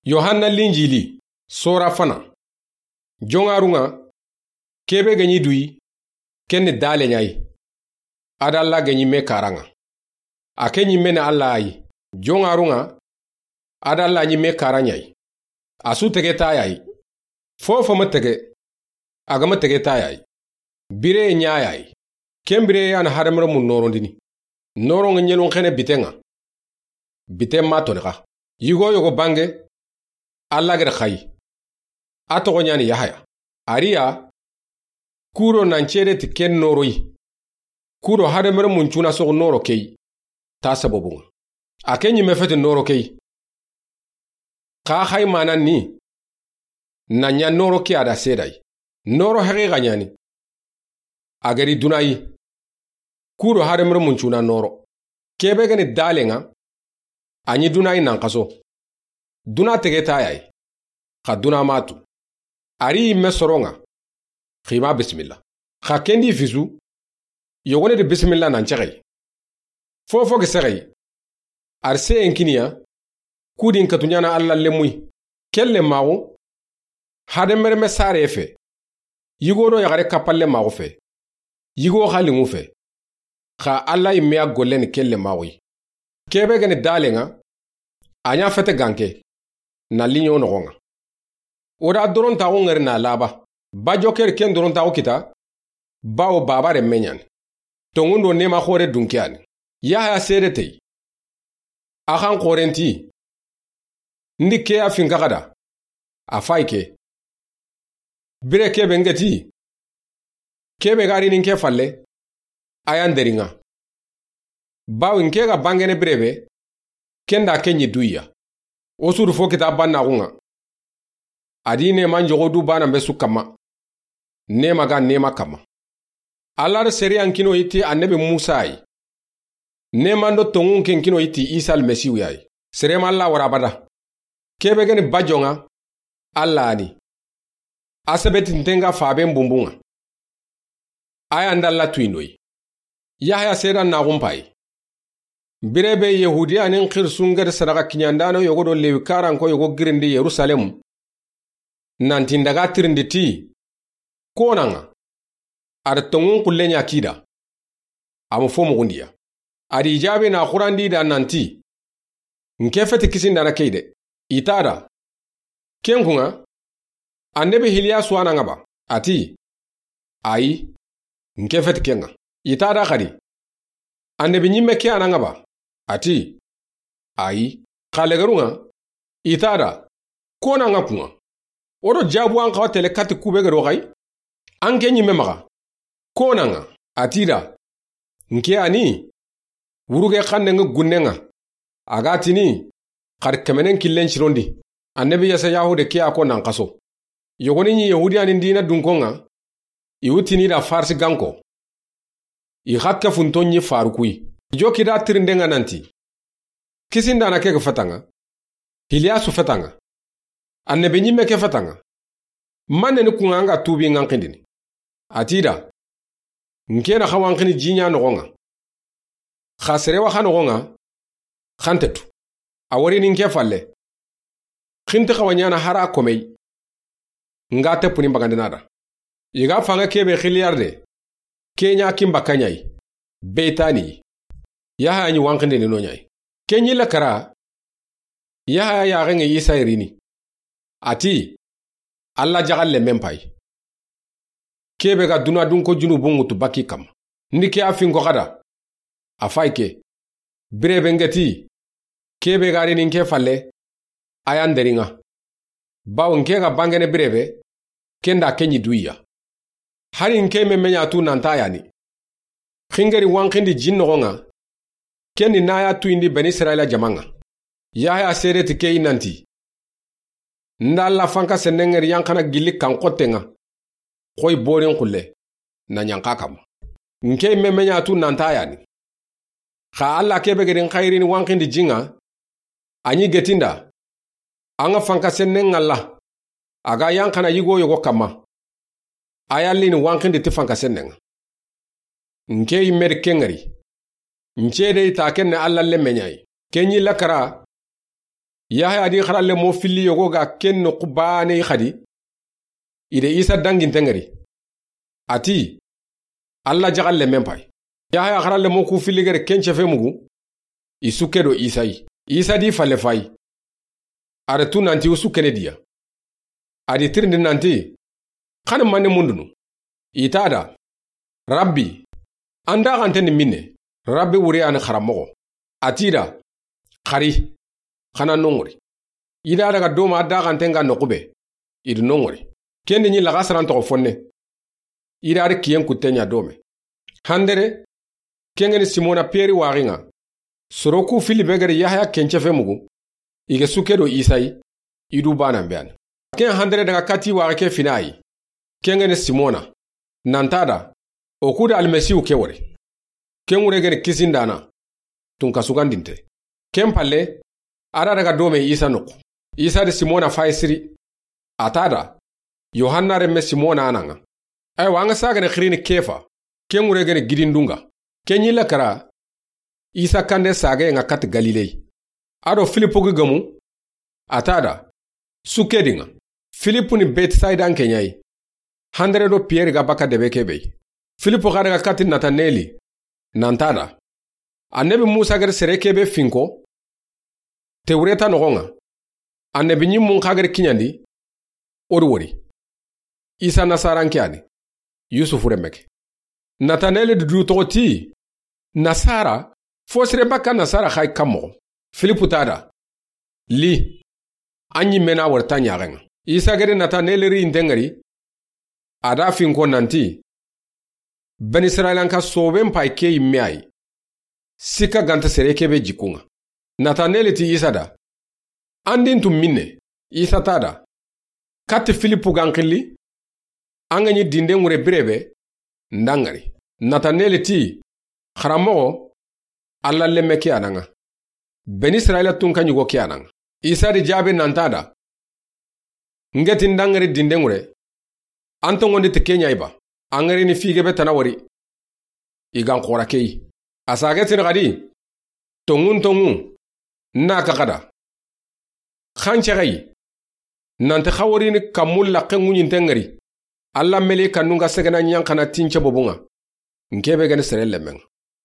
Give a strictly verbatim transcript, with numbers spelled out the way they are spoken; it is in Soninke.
Yohanna Linjili, sora fana. Joŋarun ŋa, ke be ga ɲi duyi, ken ni dale ɲa yi. A do Alla ga ɲi me karan ŋa. A ke ɲi me ni Alla yi. Joŋarun ŋa, a do Alla ɲi me karan ɲa yi. A su tege ta ya yi. Fofo ma tege, a ga ma tege ta ya yi. Bire ɲa ya yi. Ken bire ya na hadamarenmun norondini. Noron ŋa ɲenun xene biten ŋa. Biten ma toni xa. Yigo yogo bange, Alla ga da xa yi. A toxo ɲa ni Yahaya. A ri ya, ku do nan cede ti ken noro yi. Ku do hadamarenmun cuna soxu noro ke yi. Ta sababun ŋa. A ke ɲi me feti noro ke yi. Xa xa yi manan ni, na ɲa noro ke ya da seeda yi. Noro haqiqa ɲa ni. A ga ri duna yi. Ku do hadamarenmun cuna noro. Ke be ga ni dalen ŋa, a ɲi duna yi nan xaso. Duna tege ta ya yi. Xa duna ma tu. A ri yi me soron ŋa. Xa i ma bisimilla. Xa ken di fisu, yogoni di bisimilla nan cexe yi. Fofo ga sexe yi. A ri seyen kini ya, ku di n katu ɲa na Alla lenmu yi. Ken lenmaxu, hadamarenme sare fe. Yigo do yaxare kappalenmaxu fe. Yigo xa linŋu fe. Xa Alla yi me ya golle ni ken lenmaxu yi. Ke be ga ni dalen ŋa, a ɲa fete ganke, na liɲo noxon ŋa. O da dorontaxu ŋari na laba. Ba joker ken dorontaxu kita, bawo baba renme ɲa ni. Tonŋun do nema xore dunke ya ni. Yahaya seede te yi. A xan xoren ti, n di ke ya finka xa da, a fa yi ke. Bire ke be n ga ti, ke be ga ri ni n ke falle, a ya n deri ŋa. Bawo n ke ga bangene bire be, ken da ke ɲi duyi ya. O su du fo kita bannaxun ŋa. A di neman joxo du banan be su kanma. Nema ga nema kanma. Alla da sariyan kino yi ti annabi Musa yi. Neman do tonŋun ken kino yi ti Isa Almasihu ya yi. Sere ma Alla wara abada. Ke be ga ni ba joŋa, Alla ni. A sebetinten ŋa faben bunbun ŋa. A ya n da Alla tuyindo yi. Yahaya seedannaxun pa yi. Bire be Yahudiyanin xirisun ga da sadaxa kiɲandano yogo do Lewi karanko yogo girindi Yerusalemu. Nan ti n daga tirindi ti, ko na ŋa, a da tonŋun xulle ɲa ki da. A ma fo muxundi ya. A di i jaabi na xurandi da nan ti, n ke feti kisindana ke yi de. I ta da, ken kun ŋa, annabi Hiliyasu a na ŋa ba? A ti, ayi, n ke feti ken ŋa. I ta da xadi, annabi ɲimme ke a na ŋa ba? A ti, ayi. Xa legerun ŋa, i ta da, ko na ŋa kun ŋa. O do jaabu an xawa tele kati ku be ga do xa yi. An ke ɲimme maxa, ko na ŋa? A ti da, n ke ya ni, wuruge xannen ŋa gunnen ŋa. A ga tini, xari kemenen killen cirondi. Annabi Yasayahu de ke ya ko nan xaso. Yogoni ɲi Yahudiyanin diina dunkon ŋa, i wutini da Farsi ganko. I xa ke funto ɲi faru ku yi. Joki da tirinden ŋa nan ti, kisindana ke ga feta ŋa, Hiliyasu feta ŋa, annabi ɲimme ke feta ŋa. Manne ni kun ŋa an ga tuubi ŋa n xindini? A ti da, n ke na xa wa n xini jiɲa noxon ŋa. Xa sere wa xa noxon ŋa, xa nte tu. A wari ni n ke falle. Xinti xa wa ɲaana hara komey. N ga teppuni n bagandina da. I ga fanga ke be xiliyar de. Ke ɲa kin bakka ɲa yi. Beytani. Yahaya ɲi wa n xindini no ɲa yi. Ke ɲi la kara. Yahaya yaxen ŋa Isa yi rini. A ti, Alla jaxalle men pa yi. Ke be ga duna dunko junubun ŋutu bakki kanma. N di ke ya finko xa da. A fa yi ke. Bire be n ga ti, ke be ga ri ni n ke falle, a ya n deri ŋa. Bawo n ke ga bangene bire be, ken da ke ɲi duyi ya. Hari n ke meme ɲa tu nan ta ya ni. Xingeri wa n xindi jin noxon ŋa. Ken ni na ya tuyindi Bani Israila jaman ŋa. Yahaya seede ti ke yi nan ti, n da Alla fanka sennen ŋari yanxana gilli kan xotten ŋa. Xoyi borin xulle, na ɲanxa kanma. N ke meme ɲa tu nan ta ya ni. Xa Alla ke be ga ri n xayiri ni wa n xindi jin ŋa, a ɲi getinda. An ŋa fanka sennen ŋalla. A ga yanxana yigo yogo kanma. A ya li ni wa n xindi ti fanka sennen ŋa. N ke yi me di ken ŋari. N cede yi ta ken ni Alla lemme ɲa yi. Ke ɲi la kara. Yaxaya di xaralenmo filli yogo ga ken noxu baane yi xadi, i da Isa danginten ŋari. A ti, Alla jaxalenmen pay. Yaxaya xaralenmo ku filli gere ken cefe mugu, i sukke do Isa yi. Isa di falle fayi. A da tu nanti u sukkene diya. A di tirindi nanti, xa ni manne mundunu? I ta da, Rabbi, an daxanten ni minne? Rabbi wure a ni xaranmoxo. A ti da, Xari, xa na noŋori. I da daga doma a daxanten ga noxu be, i di noŋori. Ken di ɲi laxasaran toxo fonne. I da ri kiyen kutte ɲa dome. Handere, ken ŋa ni Simona Piyeri waxi ŋa. Soro ku filli be gere Yaxaya ken cefe mugu, i ga sukke do Isa yi, i du banan be a ni. Ken handere daga kati waxe ke fina yi. Ken ŋa ni Simona, nan ta da, o ku da Almasihu ke wori. Ken wure ga ni kisindana, tunka sugandinte. Ken palle, a da daga dome Isa noxu. Isa di Simona fayi siri. A ta da, Yohanna renme Simona a na ŋa. Aywa, an ga sagene xirini Kefa, ken wure ga ni gidindunga. Ken ɲi la kara, Isa kande sage ŋa kati Galile. A do Filipu gi gemu, a ta da, sukke di ŋa. Filipu ni Betsaida n ke ɲa yi. Handere do Piyeri ga baka debe ke be yi. Filipu xa daga kati Nataneli, nan ta da, Annabi Musa gere sere ke be finko, Tewreta noxo ŋa, annabi ɲimmun xa gere kiɲandi, o di wori. Isa Nasaran ke a ni, Yusufu renme ke. Nataneli di du toxo ti, Nasara, fo sere baka Nasara xayi kan moxo? Filipu ta da, Li, an ɲimme na wori ta ɲaxen ŋa. Isa gere Nataneli ri yinten ŋari, a da finko nanti, Bani Israilanka soben pay ke yimme a yi. Sikka ganta sere ke be jikkun ŋa. Nataneli ti Isa da, An di n tu minne? Isa ta da, Kati Filipu ga n xilli, an ga ɲi dinden wure bire be, n da n ŋari. Nataneli ti, Xaranmoxo, Alla lenme ke a na ŋa. Bani Israila tunka ɲugo ke a na ŋa. Isa di jaabi nan ta da, N ke ti n da n ŋari dinden wure, an tonŋondi ti ke ɲa yi ba? An ŋari ni fige be tana wori, i ga n xora ke yi. A sage tini xadi, Tonŋun tonŋu, n na ka xada, xa n cexe yi, nanti xa wori ni kammu laxe ŋuɲinten ŋari, Alla meli kanun ga segena ɲanxana tince bobun ŋa, n ke be ga ni sere lenmen ŋa.